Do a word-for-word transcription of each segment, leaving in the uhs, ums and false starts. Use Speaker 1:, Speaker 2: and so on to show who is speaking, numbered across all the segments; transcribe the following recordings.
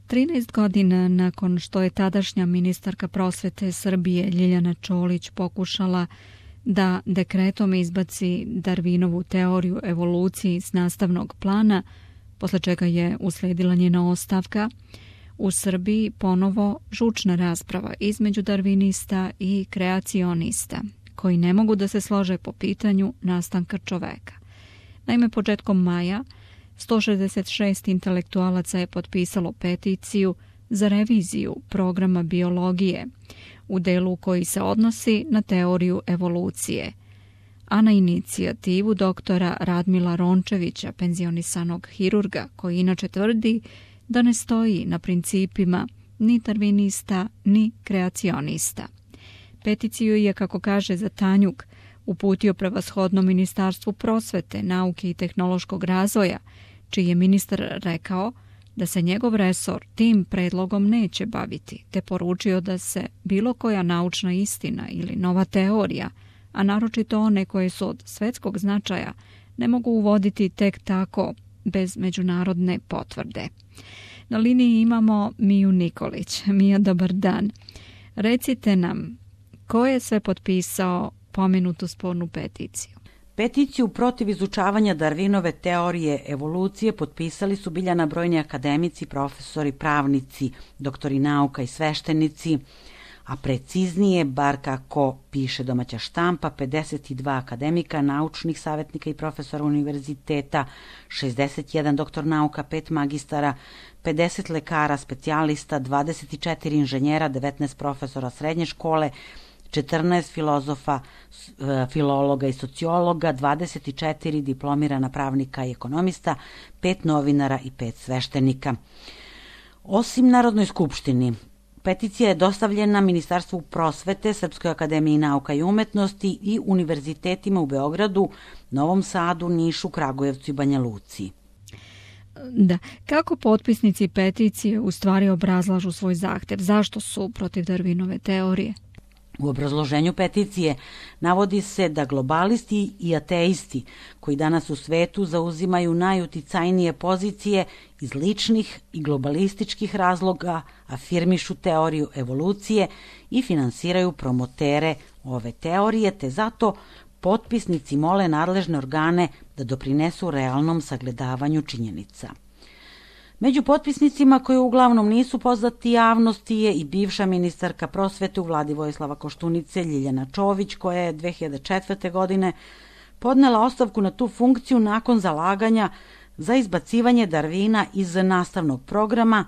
Speaker 1: trinaest godina nakon što je tadašnja ministarka prosvete Srbije Ljiljana Čolić pokušala da dekretom izbaci Darwinovu teoriju evolucije s nastavnog plana, posle čega je usledila njena ostavka, u Srbiji ponovo žučna rasprava između darvinista i kreacionista, koji ne mogu da se slože po pitanju nastanka čoveka. Naime, početkom maja sto šezdeset šest intelektualaca je potpisalo peticiju za reviziju programa biologije u delu koji se odnosi na teoriju evolucije, a na inicijativu doktora Radmila Rončevića, penzionisanog hirurga, koji inače tvrdi da ne stoji na principima ni darvinista ni kreacionista. Peticiju je, kako kaže za Tanjuk, uputio prevashodno Ministarstvu prosvete, nauke i tehnološkog razvoja, čiji je ministar rekao da se njegov resor tim predlogom neće baviti, te poručio da se bilo koja naučna istina ili nova teorija, a naročito one koje su od svetskog značaja, ne mogu uvoditi tek tako bez međunarodne potvrde. Na liniji imamo Miju Nikolić. Mija, dobar dan. Recite nam, ko je sve potpisao pomenutu spornu peticiju?
Speaker 2: Peticiju protiv izučavanja Darwinove teorije evolucije potpisali su Biljana brojni akademici, profesori, pravnici, doktori nauka i sveštenici, a preciznije, bar kako piše domaća štampa, pedeset dva akademika, naučnih savjetnika i profesora univerziteta, šezdeset jedan doktor nauka, pet magistara, pedeset lekara, specijalista, dvadeset četiri inženjera, devetnaest profesora srednje škole, četrnaest filozofa, filologa i sociologa, dvadeset četiri diplomirana pravnika i ekonomista, pet novinara i pet sveštenika. Osim Narodnoj skupštini, peticija je dostavljena Ministarstvu prosvete, Srpskoj akademiji nauka i umetnosti i univerzitetima u Beogradu, Novom Sadu, Nišu, Kragujevcu i Banja Luci.
Speaker 1: Da, kako potpisnici peticije u stvari obrazlažu svoj zahtev? Zašto su protiv Darwinove teorije?
Speaker 2: U obrazloženju peticije navodi se da globalisti i ateisti koji danas u svetu zauzimaju najuticajnije pozicije iz ličnih i globalističkih razloga afirmišu teoriju evolucije i finansiraju promotere ove teorije, te zato potpisnici mole nadležne organe da doprinesu realnom sagledavanju činjenica. Među potpisnicima koji uglavnom nisu poznati javnosti je i bivša ministarka prosvete u vladi Vojislava Koštunice Ljiljana Čović, koja je dve hiljade četvrte. godine podnela ostavku na tu funkciju nakon zalaganja za izbacivanje Darwina iz nastavnog programa,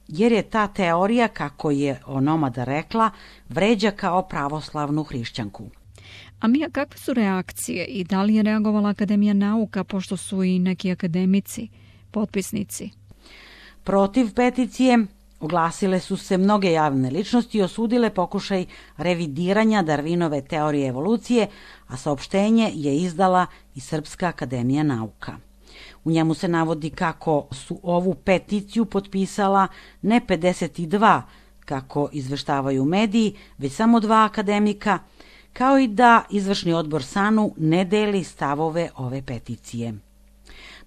Speaker 2: jer je ta teorija, kako je onomada rekla, vređa kao pravoslavnu hrišćanku.
Speaker 1: A Mija, kakve su reakcije i da li je reagovala Akademija nauka, pošto su i neki akademici potpisnici?
Speaker 2: Protiv peticije oglasile su se mnoge javne ličnosti i osudile pokušaj revidiranja Darwinove teorije evolucije, a saopštenje je izdala i Srpska akademija nauka. U njemu se navodi kako su ovu peticiju potpisala ne pedeset dva, kako izveštavaju mediji, već samo dva akademika, kao i da izvršni odbor SANU ne deli stavove ove peticije.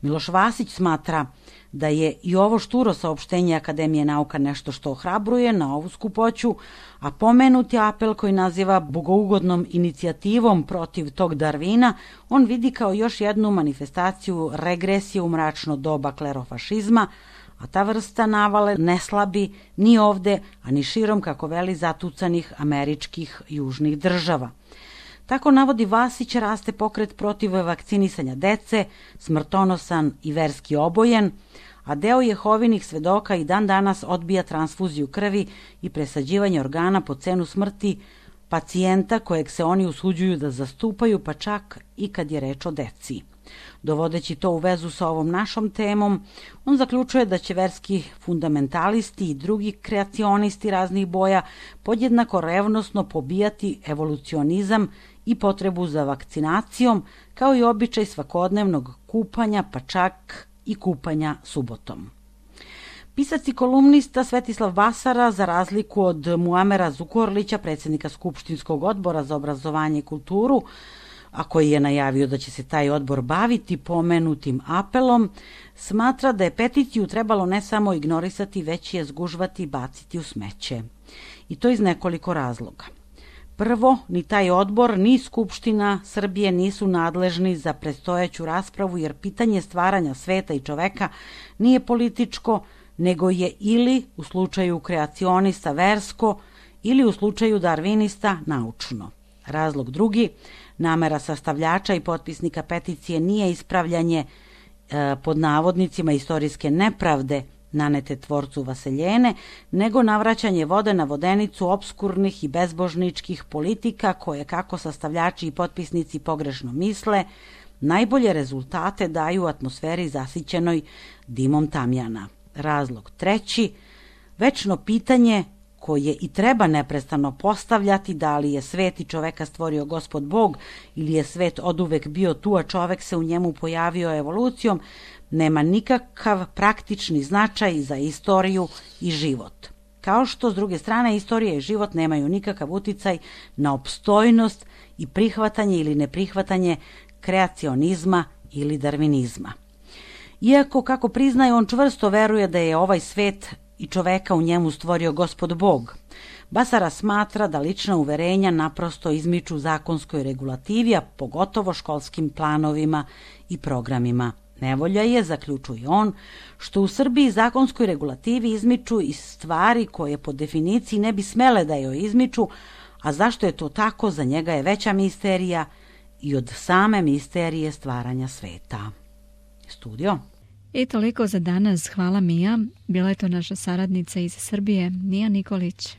Speaker 2: Miloš Vasić smatra da je i ovo šturo saopštenje Akademije nauka nešto što ohrabruje na ovu skupoću, a pomenuti apel koji naziva bogougodnom inicijativom protiv tog Darwina, on vidi kao još jednu manifestaciju regresije u mračno doba klerofašizma, a ta vrsta navale ne slabi ni ovde, a ni širom, kako veli, zatucanih američkih južnih država. Tako navodi Vasić, raste pokret protiv vakcinisanja dece, smrtonosan i verski obojen, a deo Jehovinih svedoka i dan danas odbija transfuziju krvi i presađivanje organa po cenu smrti pacijenta kojeg se oni usuđuju da zastupaju, pa čak i kad je reč o deci. Dovodeći to u vezu sa ovom našom temom, on zaključuje da će verski fundamentalisti i drugi kreacionisti raznih boja podjednako revnosno pobijati evolucionizam i potrebu za vakcinacijom, kao i običaj svakodnevnog kupanja, pa čak i kupanja subotom. Pisac i kolumnista Svetislav Basara, za razliku od Muamera Zukorlića, predsjednika Skupštinskog odbora za obrazovanje i kulturu, a koji je najavio da će se taj odbor baviti pomenutim apelom, smatra da je peticiju trebalo ne samo ignorisati, već je zgužvati i baciti u smeće. I to iz nekoliko razloga. Prvo, ni taj odbor, ni Skupština Srbije nisu nadležni za predstojeću raspravu, jer pitanje stvaranja sveta i čoveka nije političko, nego je ili u slučaju kreacionista versko, ili u slučaju darvinista naučno. Razlog drugi, namera sastavljača i potpisnika peticije nije ispravljanje e, pod navodnicima istorijske nepravde nanete tvorcu Vaseljene, nego navraćanje vode na vodenicu opskurnih i bezbožničkih politika koje, kako sastavljači i potpisnici pogrešno misle, najbolje rezultate daju u atmosferi zasićenoj dimom tamjana. Razlog treći, večno pitanje koje i treba neprestano postavljati, da li je svet i čoveka stvorio Gospod Bog ili je svet oduvek bio tu, a čovek se u njemu pojavio evolucijom, nema nikakav praktični značaj za istoriju i život. Kao što, s druge strane, istorija i život nemaju nikakav uticaj na opstojnost i prihvatanje ili neprihvatanje kreacionizma ili darvinizma. Iako, kako priznaje, on čvrsto veruje da je ovaj svet i čoveka u njemu stvorio Gospod Bog, Basara smatra da lična uverenja naprosto izmiču zakonskoj regulativi, a pogotovo školskim planovima i programima. Nevolja je, zaključuje on, što u Srbiji zakonskoj regulativi izmiču i stvari koje po definiciji ne bi smele da joj izmiču, a zašto je to tako, za njega je veća misterija i od same misterije stvaranja sveta. Studio.
Speaker 1: I toliko za danas. Hvala Mija. Bila je to naša saradnica iz Srbije, Mija Nikolić.